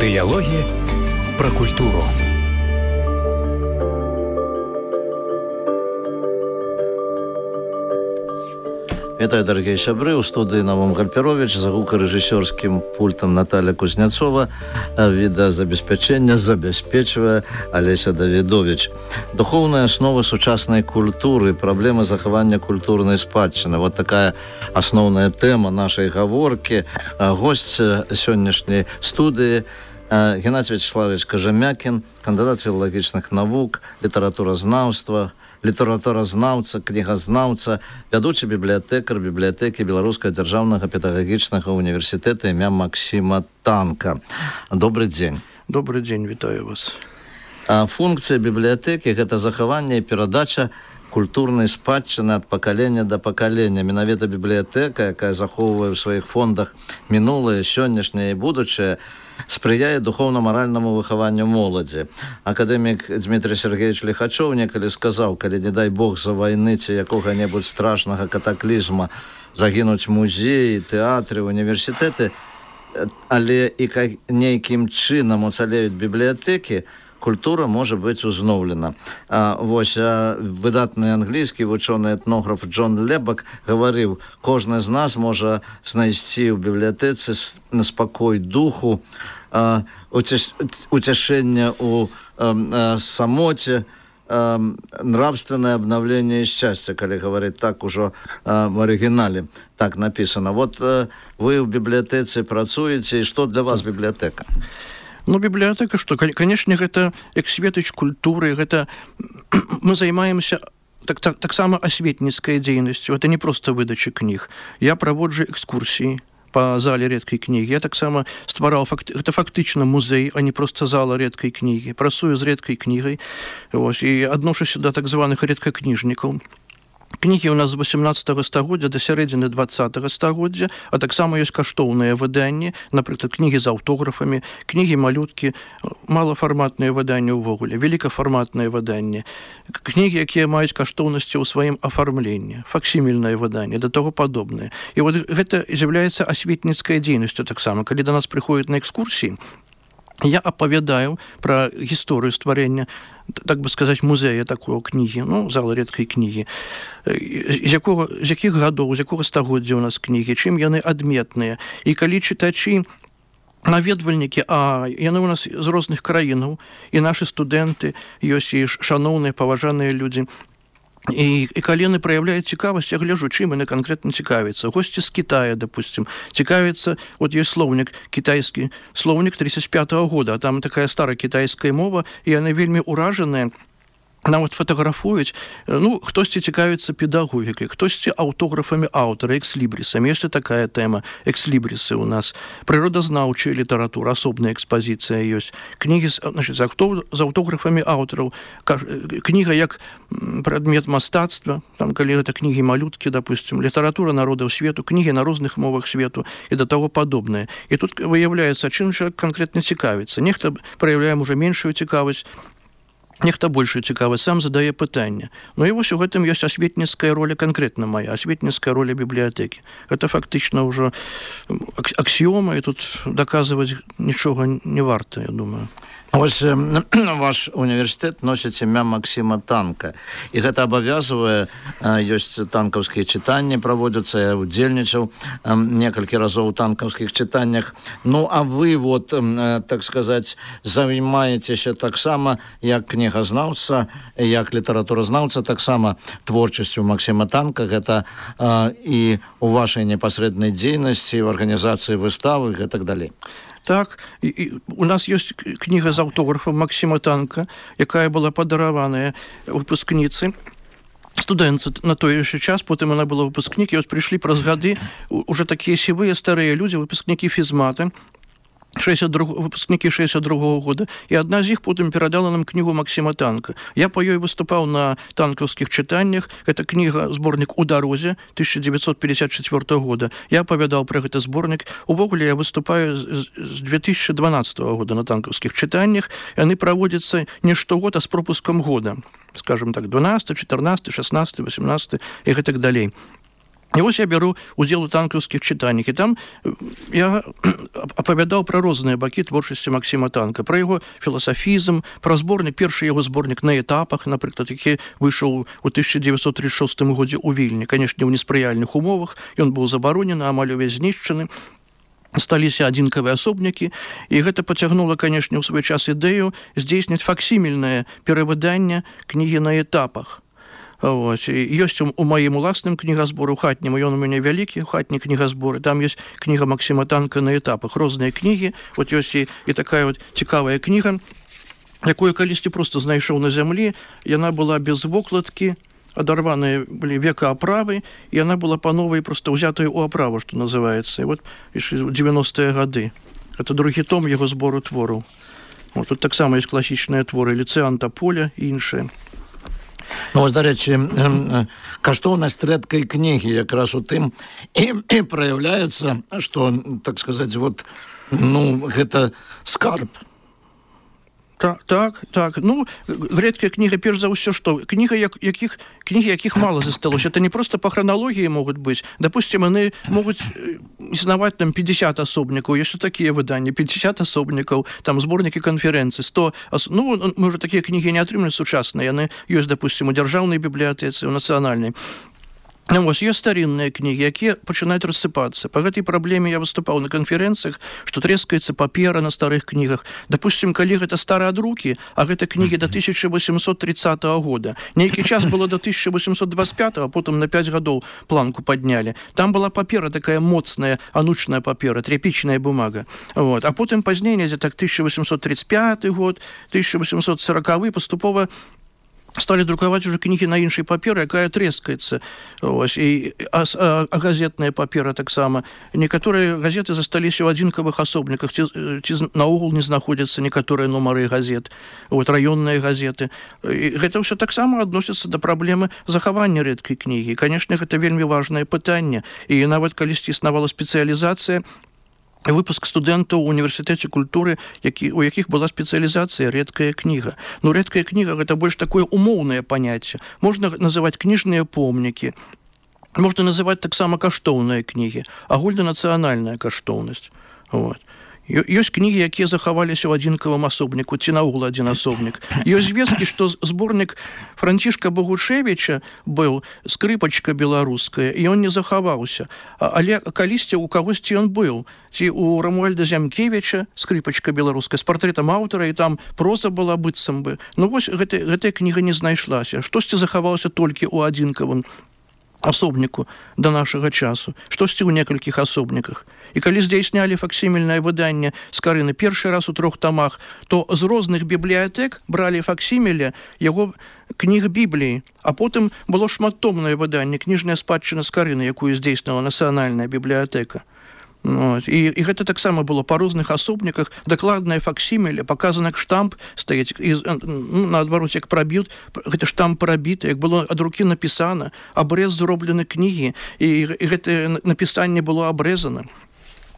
Дыялогі пра культуру. Вітаю, дорогие сябры, у студии Навум Гальперович, за гукорэжысёрскім пультом Наталья Кузнецова, відэазабеспячэння забяспечвае Олеся Давидович. Духовная основа сучаснай культуры, праблемы захавання культурнай спадчыны. Вот такая асноўная тэма нашай гаворкі. Госць сённяшняй студыі Геннадий Вячеславович Кожемякин, кандидат філалагічных навук, літаратуразнаўца, кнігазнаўца, вядучы бібліятэкар бібліятэкі Беларускага дзяржаўнага педагагічнага універсітэта імя Максима Танка. Добрый дзень. Добрый дзень, вітаю вас. Функцыя бібліятэкі – гэта захаванне і перадача культурнай спадчыны ад пакалення да пакалення. Менавіта бібліятэка, якая захоўвае ў сваіх фондах мінулае, сённяшняе і будучае, спрыяе духовно-маральнаму выхаванню моладзі. Акадэмік Дмітрий Сергеевич Лихачов некалі сказаў, калі, не дай Бог, за вайны ці якога-небудзь страшнага катаклізма загінуць музеі, тэатры, універсітэты, але і нейкім чынам уцалеюць бібліятэкі, культура можа быць узноўлена. Вось выдатны англійскі вучоны этнограф Джон Лебак гаварыў, кожны з нас можа знайсці ў бібліятэцы спакой духу, уцяшэнне ў самоце, нравственное обновление и счастье, калі гаварыць так ужо в арыгінале так написано. Вот вы ў бібліятэцы працуеце, і што для вас бібліятэка? Ну, библиотека, что, конечно, это як светоч культуры, это мы займаемся так само осветницкой деятельностью. Это не просто выдача книг. Я проводжу экскурсии по зале редкой книги. Я так само стварал, это фактично музей, а не просто зала редкой книги. Працую з редкой книгой, и адношуся до так званых редкокнижников. Кнігі у нас з 18 стагоддзя да сярэдзіны 20 стагоддзя, а таксама ёсць каштоўныя выданні, напрыклад, кнігі з аўтографамі, кнігі малюткі, малафарматныя выданні ўвогуле, великафарматныя выданні, кнігі, якія маюць каштоўнасці ў сваім афармленні, факсімільныя выданні, да таго падобнае. І вот гэта з'яўляецца асветніцкай дзейнасцю таксама. Калі да нас прыходзяць на экскурсіі, я апавядаю пра гісторыю стварэння, так бы сказать, музея такого кнігі, ну, зала редкай кнігі, з якіх гадоў, з якога стагоддзя у нас кнігі, чым яны адметныя. І калі чытачы, наведвальнікі, яны у нас з розных краінаў, і нашы студэнты, ёсць і шаноўныя, паважаныя людзі, і калі яны праяўляюць цікавасць, я гляжу, чым яны канкрэтна цікавяцца. Госці з Китая, допустим, цікавяцца, вот ёсць слоўнік, кітайскі слоўнік 35-го года, а там такая старая кітайская мова, і яны вельмі ўражаныя, нават фотаграфуюць. Ну, хтосьці цікавіцца педагогікай, хтосьці аўтографамі аўтара, экслібрісамі. Яшчэ такая тэма, экслібрісы у нас. Прыродазнаўчая літаратура, асобная экспазіцыя ёсць. Кнігі з аўтографамі аўтараў. Кніга як прадмет мастацтва, там, калі гэта кнігі малюткі, допустим, літаратура народаў свету, кнігі на розных мовах свету і да таго падобнае. І тут выяўляецца, чым чалавек канкрэтна цікавіцца. Нехта праяўляе уже меншую цікавасць, нехта большую цікавасць, сам задае пытанне. Ну і вось у гэтым ёсць асветніцкая роля, канкрэтна моя, асветніцкая роля бібліятэкі. Гэта фактычна ўжо аксіёма, і тут даказваць нічога не варта, я думаю. Вось ваш універсітэт носіць імя Максима Танка, і гэта абавязвае, ёсць танкаўскія чытанні праводзяцца, я удзельнічаў некалькі разоў у танкаўскіх чытаннях. Ну, а вы, вот, так сказаць, займаецеся таксама як кнігазнаўца, як літаратуразнаўца, таксама творчасцю Максима Танка, гэта і у вашай непасрэднай дзейнасці, в арганізацыі выставы і так далей. Так, у нас ёсць кніга з аўтографам Максима Танка, якая была падараваная выпускніцы, студэнтцы на той яшчэ час, потым она была выпускнік, і ось прыйшлі праз гады уже такія сівыя старыя людзі, выпускнікі фізмата, выпускнікі 62-го года, і адна з іх потым перадала нам кнігу Максима Танка. Я па ёй выступаў на танкаўскіх чытаннях. Гэта кніга, зборнік «У дарозе» 1954 года. Я апавядаў пра гэты зборнік. Увогуле я выступаю з 2012 года на танкаўскіх чытаннях. Яны праводзяцца не штогод, а з пропускам года. Скажем так, 12, 14, 16, 18 і гэтак далей. І вось я бяру удзел у танкаўскіх чытаннях, і там я апавядаў пра розныя бакі творчасці Максіма Танка, пра яго філасафізм, пра зборнік, першы яго зборнік «На этапах», напрыклад, які выйшаў у 1936 годзе ў Вільні, канешне, ў неспрыяльных умовах, ён быў забаронены, амаль увесь знішчаны, сталіся адзінкавыя асобнікі, і гэта пацягнула, канешне, ў свой час ідэю здзейсніць факсімільнае перавыданне кнігі «На этапах». Ёсць у маім уласным кнігазбору хатнім, ён у мяне вялікі хатні кнігазборы, там ёсць кніга Максіма Танка «На этапах», розныя кнігі, ёсць і такая цікавая кніга, якую калісьці проста знайшоў на зямлі, яна была без вокладкі, адарваныя былі векааправы, і яна была па новай проста ўзятая ў аправу, што называецца. І 90-е гады. Гэта другі том яго збору твораў. Тут таксама ёсць класічныя творы «Ліцэан Таполя» і іншыя. Ну, ось, до речі, каштоўнасць рэдкай кнігі якраз у тым і праяўляецца, што, так сказаць, гэта скарб. Так. Ну, рэдкая кніга, перш за ўсё, што кнігі, якіх мала засталося. Это не просто па храналогіі могуць быць. Допустим, яны могуць існаваць там 50 асобнікаў, ёсць такія выданні, 50 асобнікаў, там зборнікі канферэнцыі, 100... Ну, мы ўжо такія кнігі не атрымліваем сучасныя, яны ёсць, допустим, у дзяржаўнай бібліятэцы, у нацыянальнай. Ёсць старинныя кнігі, якія пачынаюць рассыпацца. Па гэтай праблеме я выступаў на канферэнцыях, што трэскаецца папера на старых кнігах. Допустим, калі гэта стараадрукі, а гэта кнігі до 1830 года. Нейкі час было до 1825, а потым на 5 гадоў планку паднялі. Там была папера такая моцная, анучная папера, тряпічная бумага. А потым пазней, недзе так 1835 год, 1840 паступова стали друкаваць уже кнігі на іншай паперы, якая трэскаецца. А газетная папера таксама. Некаторыя газеты засталіся ў адзінкавых асобніках, ці наогул не знаходзяцца некаторыя нумары газет, раённыя газеты. І гэта ўсё таксама адносіцца да праблемы захавання рэдкай кнігі. Канешне, гэта вельмі важнае пытанне. І нават калісьці існавала спецыялізацыя, выпуск студэнтаў у універсітэце культуры, у якіх была спецыялізацыя рэдкая кніга. Но рэдкая кніга — гэта больш такое умоўнае паняцце. Можна называць кніжныя помнікі, можна называць таксама каштоўныя кнігі, агульнанацыянальная каштоўнасць. Ёсць кнігі, якія захаваліся ў адзінкавым асобніку, ці наогул адзін асобнік. Ёсць звесткі, што зборнік Францішка Богушевіча быў «Скрыпачка беларуская», і ён не захаваўся. Але калісьці ў кагосьці ён быў. Ці у Рамуальда Зямкевіча «Скрыпачка беларуская» з партрэтам аўтара, і там проза была быццам бы. Ну вось гэтая кніга не знайшлася. Штосьці захавалася толькі ў адзінкавым асобніку да нашага часу, штосьці ў некалькіх асобніках. І калі здзейснялі факсімільнае выданне Скарыны першы раз у 3 тамах, то з розных бібліятэк бралі факсіміле яго кніг Бібліі, а потым было шматтомнае выданне «Кніжная спадчына Скарыны», якую здзейснила Нацыянальная бібліятэка. І гэта таксама было па розных асобніках, дакладнае факсіміле, показана, як штамп стаіць, наадварот, як праб'ют, гэта штамп прабіты, як было ад рукі напісана, абрэз зроблены кнігі, і гэта напісанне было абрэзана.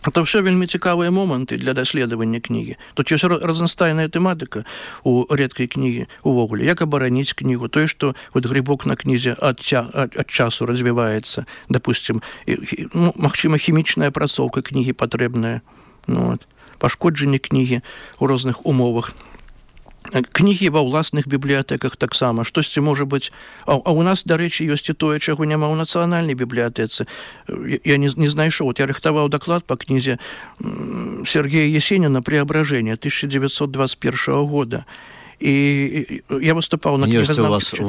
Это ўсё вельмі цікавыя моманты для даследавання кнігі. Тут ёсць разнастайная тэматыка у рэдкай кнігі увогуле. Як абараніць кнігу? Тое, што грыбок на кнізе ад часу развіваецца. Допустим, магчыма, хімічная апрацоўка кнігі патрэбная. Пашкоджанне кнігі ў розных умовах. Кнігі ва ўласных бібліятэках таксама. Штосьці можа быць... А ў нас, дарэчы, ёсць і тое, чаго няма ў нацыянальнай бібліятэцы. Я не знайшоў. Я рыхтаваў даклад па кнізе Сергея Есеніна «Преображение» 1921 года. І я выступаў на кнігазнаўчым.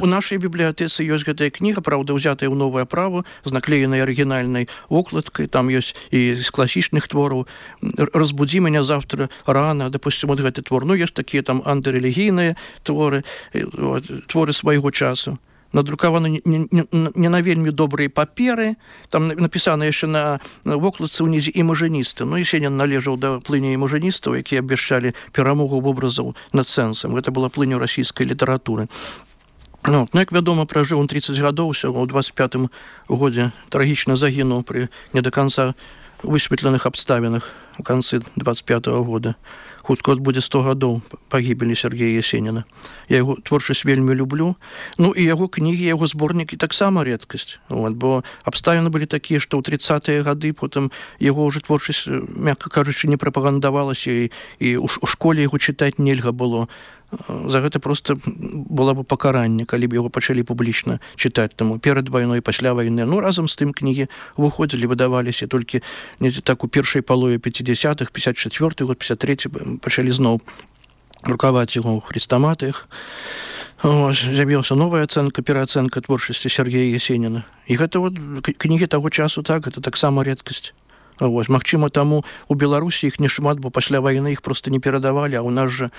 У нашай бібліятэцы ёсць гэтая кніга, правда, ўзятая ў новую аправу, з наклеенай арыгінальнай вокладкай, там ёсць і з класічных твораў «Разбудзі мяне завтра рана», допустим, вот гэты твор. Ну, ёсць такія там антырэлігійныя творы, творы свайго часу. Надрукаваны не на вельмі добрыя паперы, там напісана яшчэ на вокладцы ўнізе імажыністы. Ну, Есенін належаў да плыні імажыністаў, якія абвяшчалі перамогу вобразаў над сэнсам. Гэта была плынь расійскай літаратуры. Ну, як вядома, пражыў он 30 гадоў, усяго ў 25-м годзе трагічна загінуў пры не да канца высветленых абставінах у канцы 25-го года. хутка будзе 100 гадоў пагібелі Сергея Есеніна. Я яго творчасць вельмі люблю. Ну і яго кнігі, яго зборнікі таксама рэдкасць. Бо абставіны былі такія, што ў 30-е гады потым яго ўжо творчасць, мякка кажучы, не прапагандавалася, і ў школе яго чытаць нельга было. За гэта проста было бы пакаранне, калі б яго пачалі публічна чытаць. Таму перад вайной, пасля вайны. Ну, разам з тым кнігі выходзілі, выдаваліся, толькі так у першай палове 50-х, 54-й год, 53-й пачалі зноў друкаваць яго ў хрестаматыях. З'явілася новая ацэнка, пераацэнка творчасці Сергея Есеніна. І гэта кнігі таго часу, так, гэта таксама рэдкасць. Магчыма, таму у Беларусі іх не шмат, бо пасля вайны іх проста не перадавалі, а ў нас жа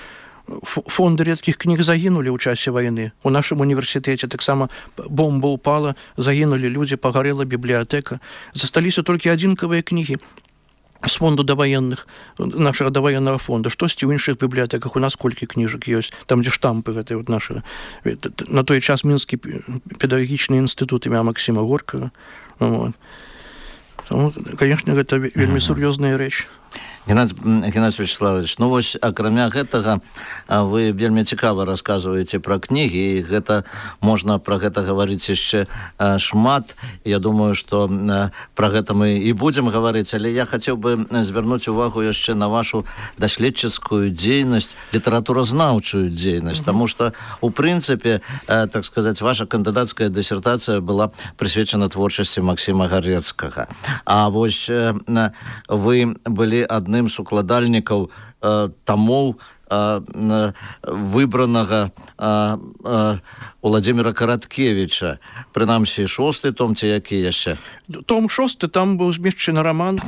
фонды редких книг загинули ў часе войны. У нашем университете таксама бомба упала, загинули люди, погорела библиотека. Засталіся толькі адзінкавыя книги з фонду даваенных, нашего даваенного фонда. Штосьці ў іншых библиотеках у нас колькі кніжак ёсць, там, дзе штампы гэтай наши. На той час Мінскі педагогічны інстытут імя Максима Горького. Конечно, гэта вельмі сур'ёзная рэч. Геннадий Вячеславович, ну вось, акрамя гэтага, вы вельмі цікава расказваеце пра кнігі, і гэта можна пра гэта гаварыць яшчэ шмат. Я думаю, што пра гэта мы і будзем гаварыць, але я хацеў бы звярнуць увагу яшчэ на вашу даследчыцкую дзейнасць, літаратуразнаўчую дзейнасць, таму што, у прынцыпе, так сказаць, ваша кандыдацкая дысертацыя была прысвечана творчасці Максіма Гарэцкага. А вось вы былі адным з укладальнікаў тамоў выбранага Владимира Караткевича. Прынамсі, 6-й том, ці які яшчэ? Том 6, там быў змешчаны роман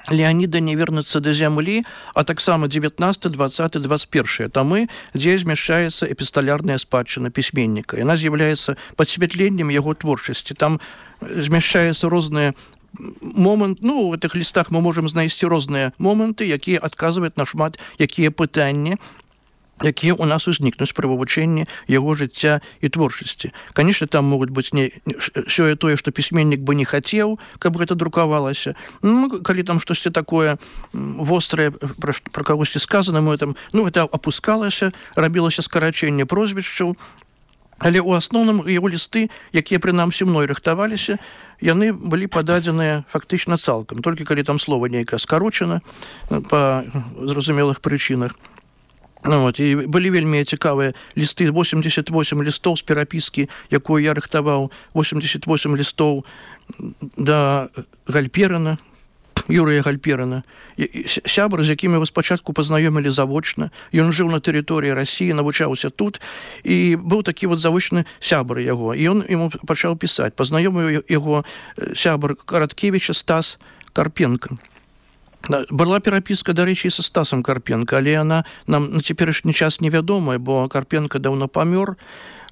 Леонида «Не вернуться до земли», а таксама 19, 20, 21 томы, дзе змяшчаецца эпісталярная спадчына пісьменніка. Яна з'яўляецца падсвятленнем яго творчасці. Там змяшчаецца розныя момент, ну, у гэтых лістах мы можам знайсці розныя моманты, якія адказваюць на шмат якія пытанні, якія ў нас узнікнуць пры вывучэнні яго жыцця і творчасці. Канешне, там могуць быць сёе тое, што пісьменнік бы не хацеў, каб гэта друкавалася. Ну, калі там штосьці такое вострае пра кагосьці сказана, мы там, ну, гэта апускалася, рабілася скарачэнне прозвішчаў. Але ў асноўным яго лісты, якія прынамсі мной рыхтаваліся, яны былі пададзеныя фактычна цалкам, толькі калі там слова нейкае скарочана па зразумелых прычынах. Ну, і былі вельмі цікавыя лісты, 88 лістоў з перапіскі, якую я рыхтаваў, 88 лістоў да Гальперына, Юрыя Гальперына, сябр, з якімі вы спачатку пазнаёмілі завочна. Ён жыў на тэрыторыі Расіі, навучаўся тут, і быў такі вот завочны сябр яго. І ён яму пачаў пісаць. Пазнаёміў яго сябр Караткевіча Стас Карпенко. Была перапіска, дарэчы, са Стасам Карпенко, але яна нам на цяперашні час невядомая, бо Карпенко даўно памёр.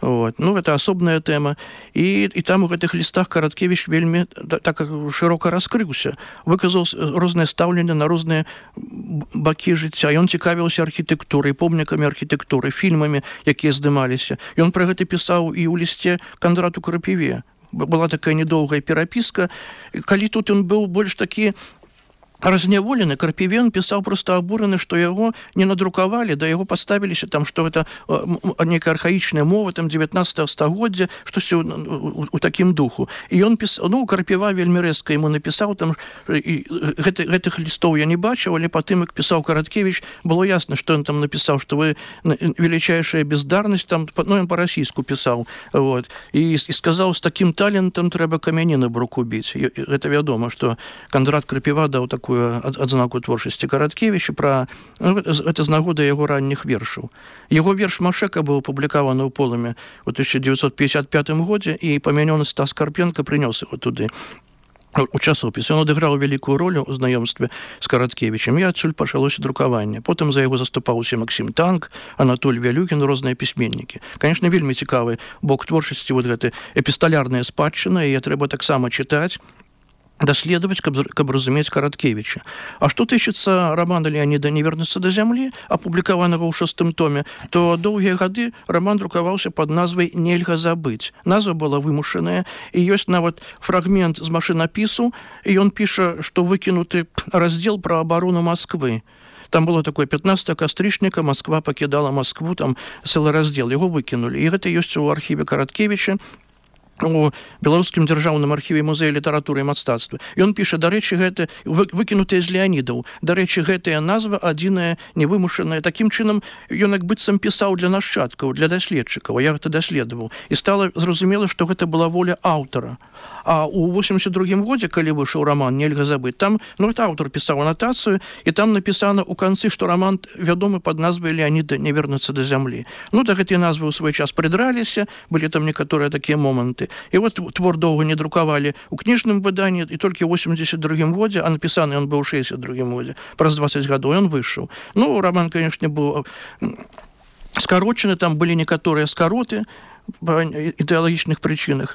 Ну, гэта асобная тэма. І там у гэтых лістах Караткевіч вельмі так шырока раскрыўся, выказаў рознае стаўленне на розныя бакі жыцця. Ён цікавіўся архітэктурай, помнікамі архітэктуры, фільмамі, якія здымаліся. Ён пра гэта пісаў і ў лісце Кандрату Крапіве. Была такая недоўгая перапіска. Калі тут ён быў больш такі разняволены, Карпівен пісаў проста абураны, што яго не надрукавалі, да яго паставіліся там, што гэта нейкая архаічная мова, там 19 стагоддзя, штосьці у такім духу. І ён пісаў, ну, Карпіва вельмі рэзка яму напісаў, там, гэтых лістоў я не бачыў, але потым, як пісаў Караткевіч, было ясна, што ён там напісаў, што вы величайшая бездарнасць, там, ну, ён па-расійску пісаў, вот, і сказаў, з такім талентам трэба камяні на бруку біць. Гэта вядома, што Кандрат Крапіва даў такую адзнаку творчасці Караткевіча, гэта з нагоды яго ранніх вершаў. Яго верш «Машэка» быў апублікаваны ў Полымі ў 1955 годзе, і памянёны Стас Карпенко прынёс яго туды у часопіс. Ён адыграў вялікую ролю ў знаёмстве з Караткевічам, і адсюль пачалося друкаванне. Потым за яго заступаўся Максім Танк, Анатоль Вялюкін, розныя пісьменнікі. Канешне, вельмі цікавы бок творчасці, вот гэта эпісталярная спадчына, і трэба таксама чытаць, даследаваць, каб разумець Караткевіча. А што тычыцца романа Леонида «Не вернуться до земли», апублікаванага ў 6-м томе, то доўгія гады роман друкаваўся пад назвай «Нельга забыць». Назва была вымушаная, і ёсць нават фрагмент з машынапісу, і ён піша, што выкінуты раздзел пра абарону Масквы. Там было такое 15 кастрычніка, Москва пакідала Москву, там цэлы раздзел, яго выкінулі. І гэта ёсць у архіве Караткевіча, у беларускім дзяржаўным архіве музея літаратуры і мастацтва. Ён піша, дарэчы, гэта выкінутыя з Леанідаў. Дарэчы, гэтая назва адзіная невымушаная. Такім чынам ён як быццам пісаў для нашчадкаў, для даследчыкаў. Я гэта даследаваў. І стала зразумела, што гэта была воля аўтара. А у 82-м годзе, калі выйшаў раман «Нельга забыць», там, это аўтар пісаў анатацыю, і там напісана ў канцы, што раман вядомы пад назвай «Леаніда не вернуцца да зямлі». Да гэтыя назвы ў свой час прыдраліся, былі там некаторыя такія моманты. І твор доўга не друкавалі ў кніжным выданні, і толькі ў 82-м годзе, а напісаны ён быў у 62-м годзе, праз 20 гадоў ён выйшаў. Раман, канешне, быў скарочаны, там былі некаторыя скароты па ідэалагічных прычынах.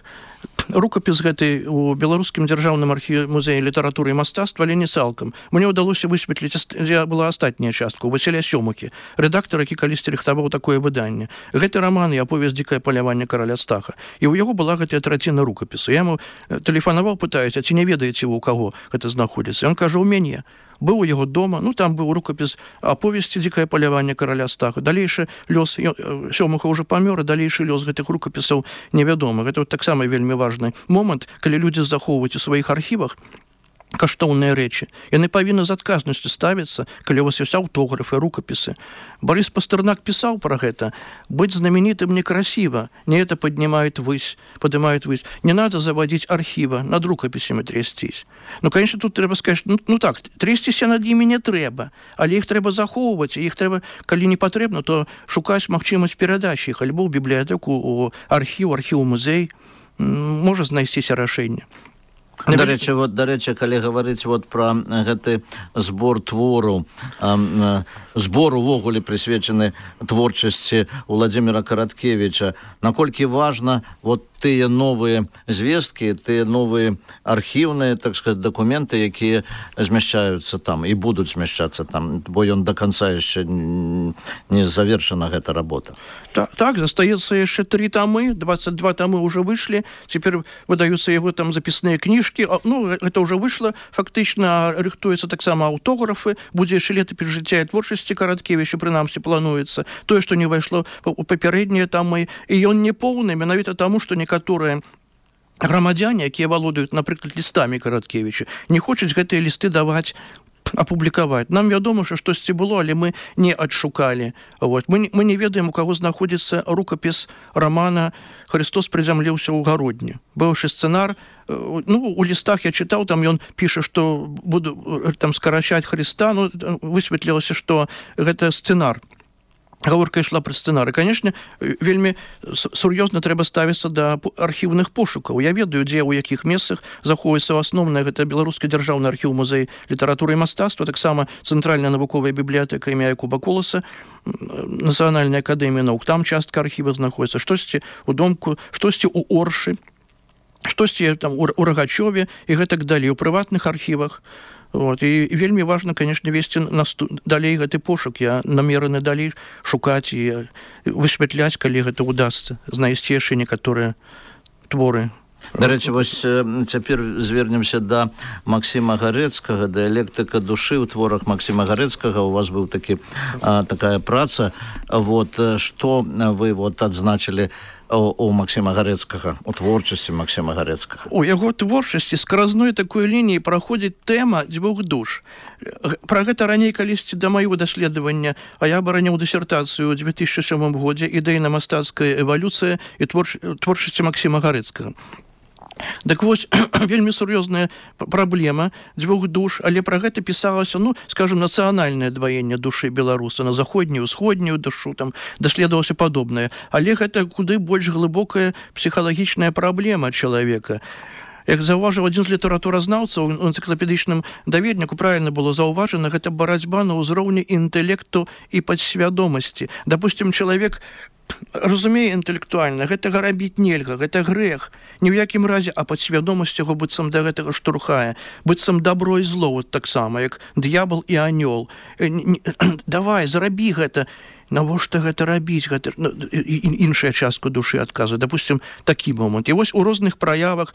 Рукапіс гэты у беларускім дзяржаўным архіве музея літаратуры і мастацтва, але не цалкам. Мне ўдалося высветліць, дзе была астатняя частка, у Васіля Сёмухі, рэдактара, які калісьці рыхтаваў такое выданне. Гэты раман і аповесць «Дзікае паляванне караля Стаха». І ў яго была гэтая траціна рукапісу. Я яму тэлефанаваў, пытаюсь, а ці не ведаеце вы, у каго гэта знаходзіцца? Ён кажа, у мяне. Быў у яго дома, там быў рукапіс аповесці «Дзікае паляванне караля Стаха». Далейшы лёс, Сёмуха ўжо памёр, і далейшы лёс гэтых рукапісаў невядомы. Гэта таксама вельмі важны момант, калі людзі захоўваюць у сваіх архівах каштоўныя рэчы. Яны павінны з адказнасцю ставіцца, калі у вас ёсць аўтографы, рукапісы. Барыс Пастэрнак пісаў пра гэта. Быць знаменитым некрасиво, не это поднимает ввысь, поднимает ввысь. Не надо заводить архива, над рукапісамі трясцісь. Конечно, тут трэба сказаць, так, трясціся над імі не трэба, але іх трэба захоўваць, іх трэба, калі не патрэбна, то шукаць магчымасць перадачы іх альбо ў бібліятэку, у архіў, музей, можа знайсціся рашэнне. Дарэчы, калі гаварыць пра гэты збор твору, збор увогуле прысвечаны творчасці Владзіміра Караткевіча, наколькі важна тыя новыя звесткі, тыя новыя архіўныя, так сказать, дакументы, якія змяшчаюцца там і будуць змяшчацца там, бо ён да канца яшчэ не завершана гэта работа. Так, застаецца яшчэ 3 тамы, 22 тамы ўжо выйшлі, цяпер выдаюцца яго там запісныя кніжкі, гэта ўжо выйшла, фактычна рыхтуецца таксама аўтографы, будзе яшчэ летапіс жыцця і творчасці Караткевіча, прынамсі плануецца, тое, што не ўвайшло у папярэднія тамы, і ён не поўны, менавіта таму, што некаторыя грамадзяне, якія валодаюць, напрыклад, лістамі Караткевіча, не хочуць гэтыя лісты даваць, апублікаваць. Нам вядома, што штосьці было, але мы не адшукалі. Мы не ведаем, у каго знаходзіцца рукапіс рамана «Христос прызямліўся ў гародні». Быўшы сцэнар, у лістах я чытаў, там ён піша, што буду там скарачаць Христа, высветлілася, што гэта сцэнар. Гаворка ішла пра сцэнары. Канешне, вельмі сур'ёзна трэба ставіцца да архіўных пошукаў. Я ведаю, дзе, у якіх месцах захоўваецца асноўнае, гэта беларускі дзяржаўны архіў музей літаратуры і мастацтва, таксама цэнтральная навуковая бібліятэка імя Якуба Коласа, Нацыянальная акадэмія наук, там частка архіва знаходзіцца, штосьці ў Домку, штосьці ў Оршы, штосьці там у Рагачове і гэтак далей, у прыватных архівах. І вельмі важна, канешне, весці далей гэты пошук. Я намераны далей шукаць і высвятляць, калі гэта ўдасца, знайсці яшчэ некаторыя творы. Дарэчы, цяпер звернемся да Максіма Гарэцкага, дыялектыка душы ў творах Максіма Гарэцкага. У вас быў такая праца. Што вы адзначылі у Максіма Гарэцкага, у творчасці Максіма Гарэцкага? У яго творчасці скразной такой лініі праходзіць тэма дзвюх душ. Пра гэта раней калісьці да маёго даследавання, а я абараняў дысертацыю ў 2007 годзе «Ідэйна-мастацкая эвалюцыя і творчасці Максіма Гарэцкага». Так вось, вельмі сур'ёзная праблема дзвюх душ, але пра гэта пісалася, скажем, нацыянальнае дваенне душы беларуса на заходнюю, усходнюю душу, там даследавалася падобнае. Але гэта куды больш глыбокая псіхалагічная праблема чалавека. Як заўважыў адзін з літаратуразнаўцаў у энцыклапедычным даведніку, правільна было заўважана, гэта барацьба на ўзроўні інтэлекту і падсвядомасці. Дапусцім, чалавек разумее інтэлектуальна, гэтага рабіць нельга, гэта грэх. Ні ў якім разе, а падсвядомасць яго быццам да гэтага штурхае. Быццам дабро і зло, таксама, як д'ябал і анёл. Давай, зарабі гэта. Навошта гэта рабіць? Іншая частка душы адказвае. Дапусцім, такі момант. І вось у розных праявах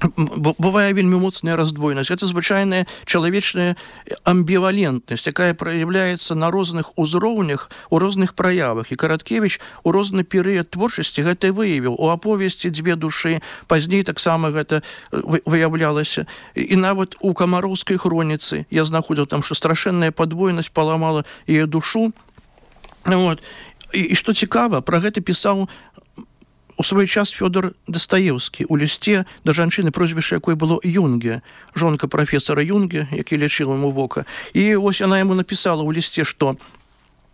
бывае вельмі моцная раздвоенасць. Это звычайная чалавечная амбівалентнасць, якая праяўляецца на розных узроўнях, у розных праявах. І Караткевіч у розны перыяд творчасці гэта выявіў. У аповесці «Дзве душы», пазней таксама гэта выяўлялася. І нават у камароўскай хроніцы я знаходзіў там, што страшэнная падвойнасць паламала яе душу. Вот. І што цікава, пра гэта пісаў у свой час Фёдор Дастаеўскі у лісце да жанчыны, прозвішча якой было Юнге, жонка прафесара Юнге, які лечыў яму вока. І вось яна яму напісала ў лісце, што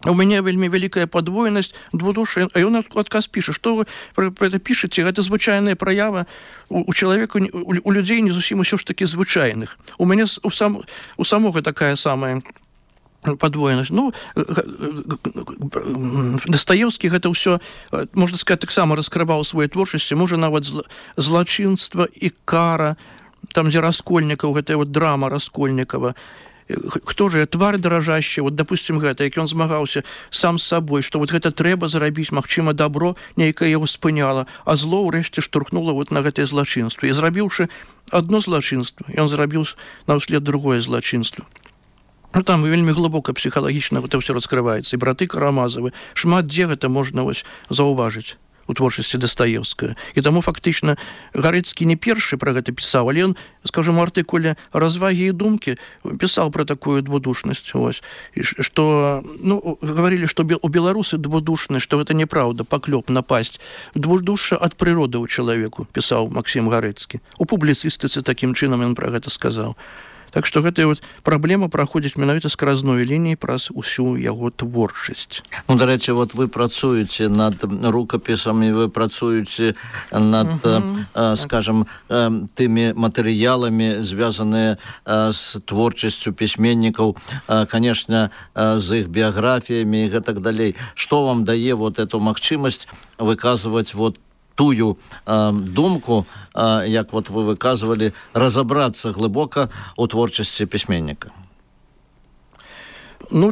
у мяне вельмі вялікая падвойнасць двудуши, а ён адказ піша, што вы пра гэта пішаце, гэта звычайная праява у чалавека, у людзей не зусім усё ж такі звычайных. У мяне у самога такая самая падвоенасць. Ну, Дастаеўскі гэта ўсё, можна сказаць, таксама раскрываў свае творчасці, можа нават злачынства і кара, там, дзе Раскольнікаў, гэтая вот драма Раскольнікава. Хто же твар даражащий, вот, допустим, гэта, як ён змагаўся сам з сабой, што вот гэта трэба зарабіць, магчыма, добро, нейкае яго спыняла, а зло ўрэшце штурхнула вот на гэтае злачынства. І зрабіўшы одно злачынства, ён зрабіў наўслед другое злачынства. Ну, там вельмі глыбока псіхалагічна гэта ўсё раскрываецца. І браты Карамазавы, шмат дзе гэта можна вось заўважыць у творчасці Дастаеўскага. І таму фактычна Гарэцкі не першы пра гэта пісаў, але ён, скажем, у артыкуле «Развагі і думкі» пісаў пра такую двудушнасць. Ось. І што, ну, гаварылі, што у беларусы двудушнасць, што гэта неправда, паклёп, напасць. Двудушша ад прыроды ў чалавеку, пісаў Максім Гарэцкі. У публіцыстыцы такім чынам ён пра гэта сказаў. Так што гэтая вот праблема праходзіць менавіта скразной лініяй праз усю яго творчасць. Ну, дарэчы, вот вы працуеце над рукапісамі, вы працуеце над, скажем, тымі матэрыяламі, звязаныя з творчасцю пісьменнікаў, конечно, з іх біяграфіямі і гэтак далей. Што вам дае вот эту магчымасць выказваць вот тую думку, як вот вы выказывали, разобраться глибоко у творчасці пісьменніка? Ну,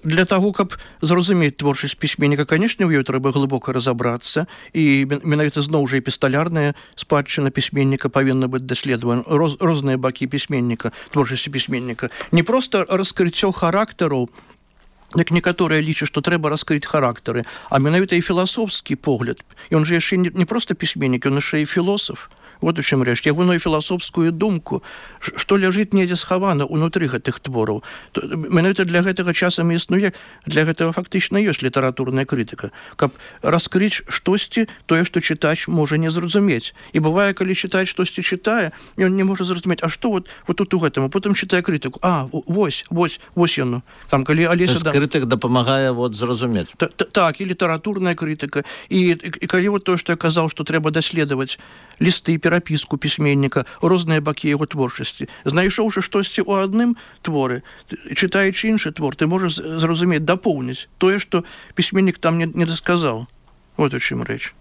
для того, каб зразумець творчасць пісьменніка, конечно, у ёй трэба глыбока разобрацца, і менавіта зноў жа эпісталярная спадчына пісьменніка павінна быць даследавана, розныя бакі пісьменніка, творчасці пісьменніка. Не проста раскрыццё характараў, як некаторыя лічаць, што трэба раскрыць характары, а менавіта і філасофскі погляд. Ён жа яшчэ не проста пісьменнік, ён яшчэ і філосаф. Вот у чым рэч. Ягоную філасофскую думку, што ляжыць недзе схавана ўнутры гэтых твораў. Менавіта для гэтага часам існуе, для гэтага фактычна ёсць літаратурная крытыка. Каб раскрыць штосьці, тое, што чытач можа не зразумець. І бывае, калі чытач штосьці чытае, ён не можа зразумець, а што вот тут у гэтым, а потым чытае крытыку. А, вось яно. Там, калі Алеся... Крытык дапамагае вот зразумець. Так, і літаратурная крытыка. І калі вот тое, што я казаў, што трэба даследаваць лісты, перапіску пісьменніка, розныя бакі яго творчасці. Знайшоўшы штосьці ў адным творы, чытаючы іншы твор, ты можаш зразумець, дапоўніць тое, што пісьменнік там не дасказаў. Вот у чым рэч.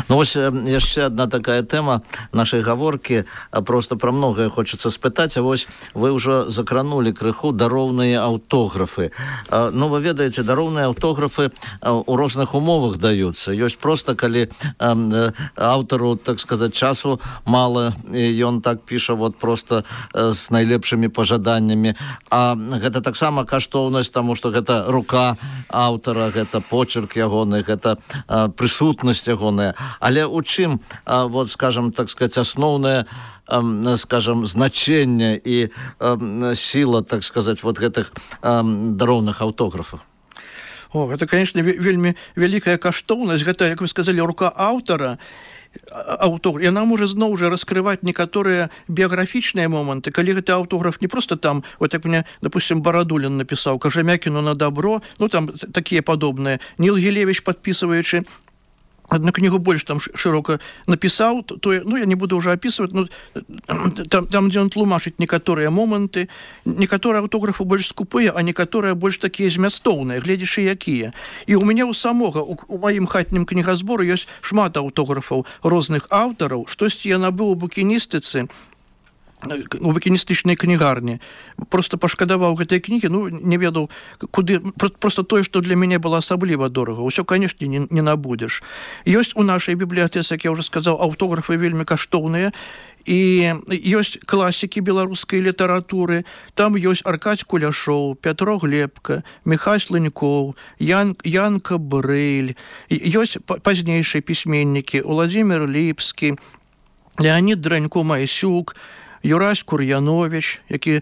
Ну, ось яшчэ одна такая тэма нашай гаворкі, просто пра многае хочацца спытаць, а вось вы ўжо закранулі крыху дароўныя аўтографы. Ну, вы ведаеце, дароўныя аўтографы у розных умовах даюцца. Ёсць просто, калі аўтару, так сказаць, часу мала, і ён так піша вот просто з найлепшымі пажаданнямі. А гэта таксама каштоўнасць, таму што гэта рука аўтара, гэта почерк ягоны, гэта прысутнасць ягоная. Але у чым, вот, скажем, так сказать, асноўнае, скажем, значэнне і сіла, так сказать, вот гэтых дароўных аўтографаў? О, гэта, конечно, вельмі вялікая каштоўнасць. Гэта, як вы сказалі, рука аўтара, аўтограф, яна можа зноў жа раскрываць некаторыя біяграфічныя моманты, калі гэты аўтограф не проста там, вот як мне, допустим, Барадулін напісаў «Кажамякіну на добро», ну там такія падобныя. Ніл Гілевіч, падпісваючы одну книгу больше там широко написал, то ну, я не буду уже описывать, но там где он тлумачыць некаторыя моманты, некаторыя аўтографы больш скупыя, а некаторыя больш такія змястоўныя, гледзячы якія. І у мяне ў самога, у маім хатнім кнігазборы ёсць шмат аўтографаў розных аўтараў, штосьці я набыў у букіністыцы, у букіністычнай кнігарні. Просто пашкадаваў гэтай кнігі, ну, не ведаў, куды... Просто тое, што для мяне было асабліва дорага. Усё, канешне, не набудзеш. Ёсць у нашай бібліятэцы, як я ўжо сказаў, аўтографы вельмі каштоўныя, і ёсць класікі беларускай літаратуры, там ёсць Аркадзь Куляшоў, Пятро Глебка, Міхась Слынькоў, Янка Брыль, ёсць пазнейшыя пісьменнікі Уладзімір Ліпскі, Леонід Дранько-Майсюк, Юрась Кур'янович, які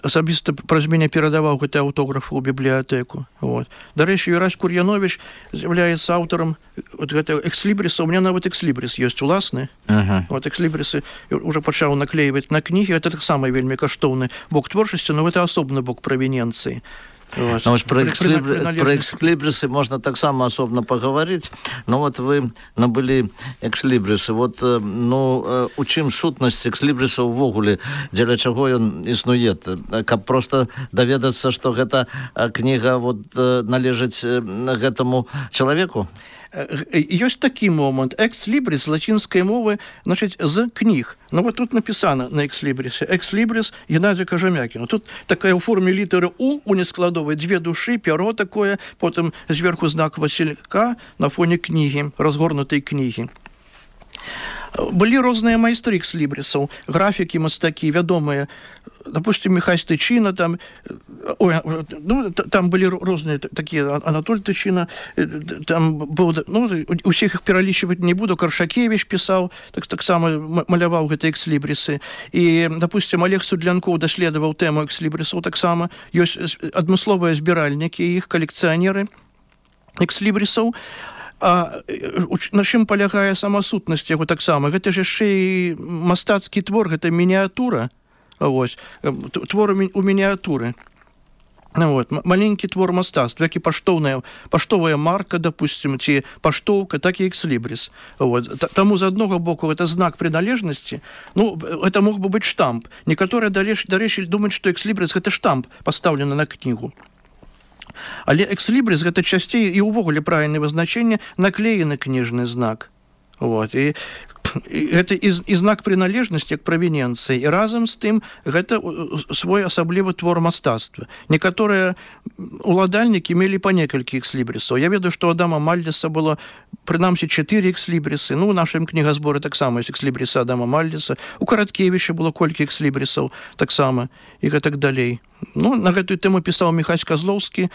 асабіста праз мяне перадаваў гэты аўтограф у бібліятэку. Вот. Дарэчы, Юрась Кур'янович з'яўляецца аўтарам гэтага экслібріса. У меня нават экслібріс ёсць уласны. Вот экслібрісы уже пачаў наклеіваць на кнігі. Это таксама вельмі каштоўны бок творчасці, но гэта асобны бок правіненцыі. Вот. Про экслибрисы можно так само особенно поговорить, но вот вы набыли экслибрисы. Вот, ну, у чым сутнасць экслибриса ўвогуле, дзеля чаго ён існуе? Каб просто даведацца, што гэта кніга вот належыць гэтаму чалавеку? Ёсць такі момант. Экслібрис з лацінскай мовы, значыць, з кніг. Ну, вот тут написано на экслібрисе. Экслібрис Геннадия Кожемякина. Тут такая ў форме літары У нескладовай, две душы, пяро такое, потым зверху знак Василька на фоне кнігі, разгорнутай кнігі. Былі розныя майстры экслібрисаў, графікі, мастакі, вядомыя. Допустим, Михась Тычина, там, там былі розныя такія, Анатоль Тычина, там быў, ну, усіх іх пералічваць не буду, Каршакевич пісаў, так само маляваў гэтыя экслібрисы. І, допустим, Олег Судлянкоў даследаваў тэму экслібрисаў таксама. Ёсць адмысловыя збіральнікі, іх калекцыянеры экслібрисаў. А на чым палягае сама сутнасць яго таксама? Гэта ж яшчэ і мастацкі твор, гэта мініатура. Вось, твор у мініатуры. Вот, маленькі твор мастацтва, як і паштовая марка, допустим, ці паштоўка, так і экслібрис. Вот. Таму з аднаго боку гэта знак прыналежнасці, ну, гэта мог бы быць штамп. Некаторыя, дарэчы, думаюць, што экслібрис гэта штамп пастаўлены на кнігу. Але экслібрис гэта часцей і ўвогуле правільнае вызначэнне наклеены кніжны знак. Вот. І гэта і знак прыналежнасці як правіненцыі. І разам з тым гэта свой асаблівы твор мастацтва. Некаторыя уладальнікі мелі па некалькі экслібрисаў. Я ведаю, што у Адама Мальдзеса было прынамсі 4 экслібрисы. Ну, у нашым кнігазборы таксама ёсць экслібрисы Адама Мальдзеса. У Караткевіча было колькі экслібрисаў таксама і гэтак далей. Ну, на гэтую тэму пісаў Міхась Казлоўскі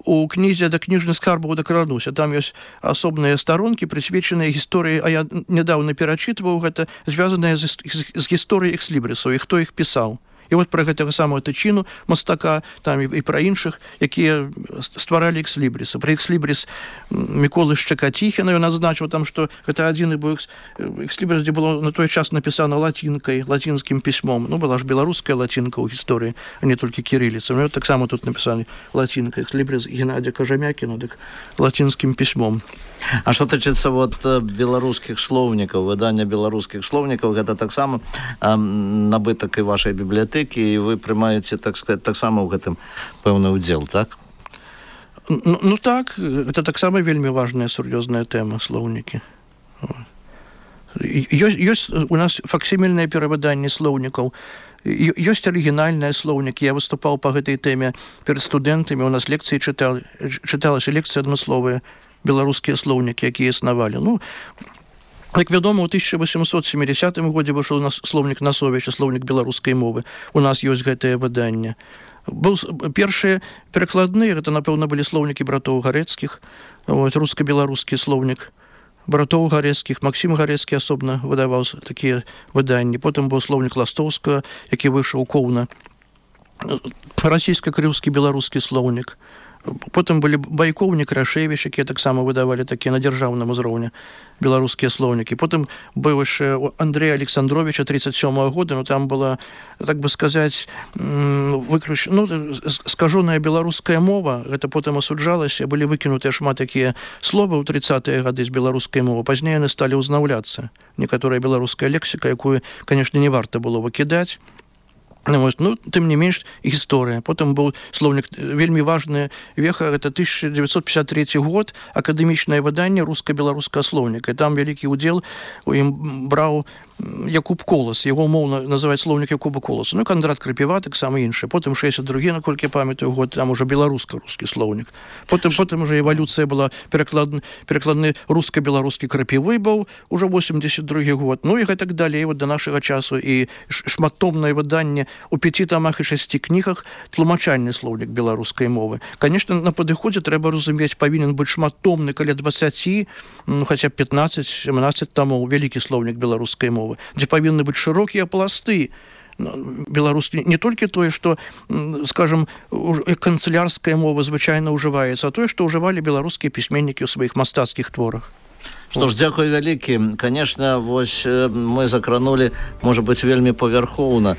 у кнізе «Да кніжных скарбаў дакрануся». Там ёсць асобныя старонкі, прысвечаныя гісторыі, а я нядаўна перачытваў гэта, звязаныя з гісторыяй экслібрисаў, і хто іх пісаў. І вот пра гэтага самого Тычину, мастака, там і пра іншых, якія стваралі экслібрисы. Пра экслібрис Міколы Шчакаціхіна ён адзначыў там, што гэта адзіны быў экслібрис, дзе было на той час напісана лацінкай, лацінскім пісьмом. Ну, была ж беларуская лацінка ў гісторыі, а не толькі кірыліца. Ну, таксама тут напісалі лацінкай. Экслібрис Геннадия Кожемякина, дык лацінскім пісьмом. А што тычыцца вот беларускіх слоўнікаў, выдання беларускіх слоўнікаў, гэта таксама набытак і вашай бібліятэкі, і вы прымаеце, так сказать, таксама ў гэтым пэўны ўдзел, так? Ну так, гэта таксама вельмі важная, сур'ёзная тэма, слоўнікі. Ёсць у нас факсімільнае перавыданне слоўнікаў, ёсць арыгінальныя слоўнікі. Я выступаў па гэтай тэме перад студэнтамі, у нас лекцыі чыталася лекцыі адмысловыя, беларускія слоўнікі, якія існавалі. Ну, як вядома, у 1870 годзе выйшаў слоўнік Насовіча, слоўнік беларускай мовы. У нас ёсць гэтае выданне. Першыя перакладныя, гэта, напэўна, былі слоўнікі братоў Гарэцкіх, руска-беларускі слоўнік братоў Гарэцкіх, Максім Гарэцкі асобна выдаваў такія выданні. Потым быў слоўнік Ластоўскага, які выйшаў коўна. Расійска-крыўскі беларускі слоўнік. Потым былі Байкоў, Некрашевіч, якія таксама выдавалі такія на дзяржаўным узроўні беларускія слоўнікі. Потым быў яшчэ Андрэя Александровича 37-го года, ну там была, так бы сказаць, скажоная беларуская мова, гэта потым асуджалася, былі выкінутыя шмат такія словы ў 30-е гады з беларускай мовы. Пазней яны сталі ўзнаўляцца. Некаторая беларуская лексіка, якую, канешне, не варта было выкідаць. Ну, тым не менш, гісторыя. Потым быў слоўнік, вельмі важная веха, гэта 1953 год, акадэмічнае выданне руска-беларускага слоўніка. І там вялікі ўдзел у ім браў Якуб Колас, яго умоўна называюць слоўнік Якуба Коласа, ну, Кандрат Крапіва, таксама іншы, потым 62-гі, наколькі памятаю, год, там уже беларуска-рускі слоўнік. Потым уже эвалюцыя была, перакладны руска-беларускі Крапівы быў, уже 82-гі год, ну і гэтак далей, вот до нашага часу, і шматтомнае выданне у 5 тамах і 6 кнігах тлумачальны слоўнік беларускай мовы. Конечно, на падыходзе трэба разумець, павінен быць шматтомны, каля 20, ну, хаця 15-17 тамоў, вялікі слоўнік беларускай мовы, дзе павінны быць шырокія пласты беларускі, не толькі тое, што, скажем, канцылярская мова звычайна ўжываецца, а тое, што ўжывалі беларускія пісьменнікі ў сваіх мастацкіх творах. Што ж, дзякуй вялікі. Конечно, вось мы закранули, можа быць, вельмі павярхоўна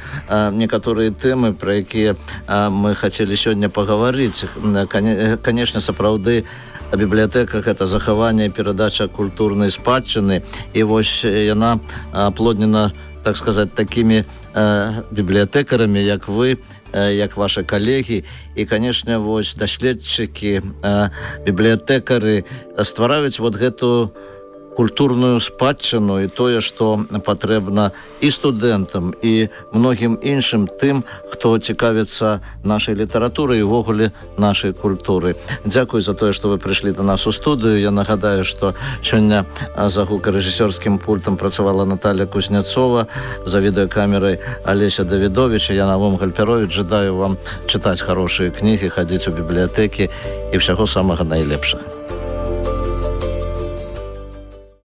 некаторыя тэмы, пра якія мы хацелі сёння пагаварыць. Конечно, сапраўды, бібліятэка — гэта захаванне і перадача культурнай спадчыны, і вось яна аплоднена, так сказаць, такімі бібліятэкарамі, як вы, як ваши калегі, і, конечно, вось даследчыкі, бібліятэкары ствараюць вот гэту культурную спадчыну і тое, што патрэбна і студэнтам, і многім іншым тым, хто цікавіцца нашай літаратурай і ўвогуле нашай культуры. Дзякуй за тое, што вы прыйшлі да нас у студыю. Я нагадаю, што сёння за гукарэжысёрскім пультам працавала Наталья Кузнецова, за відэакамерай Алеся Давідович. Я Навум Гальперович. Жадаю вам чытаць хорошыя кнігі, хадзіць у бібліятэкі і ўсяго самага найлепшага.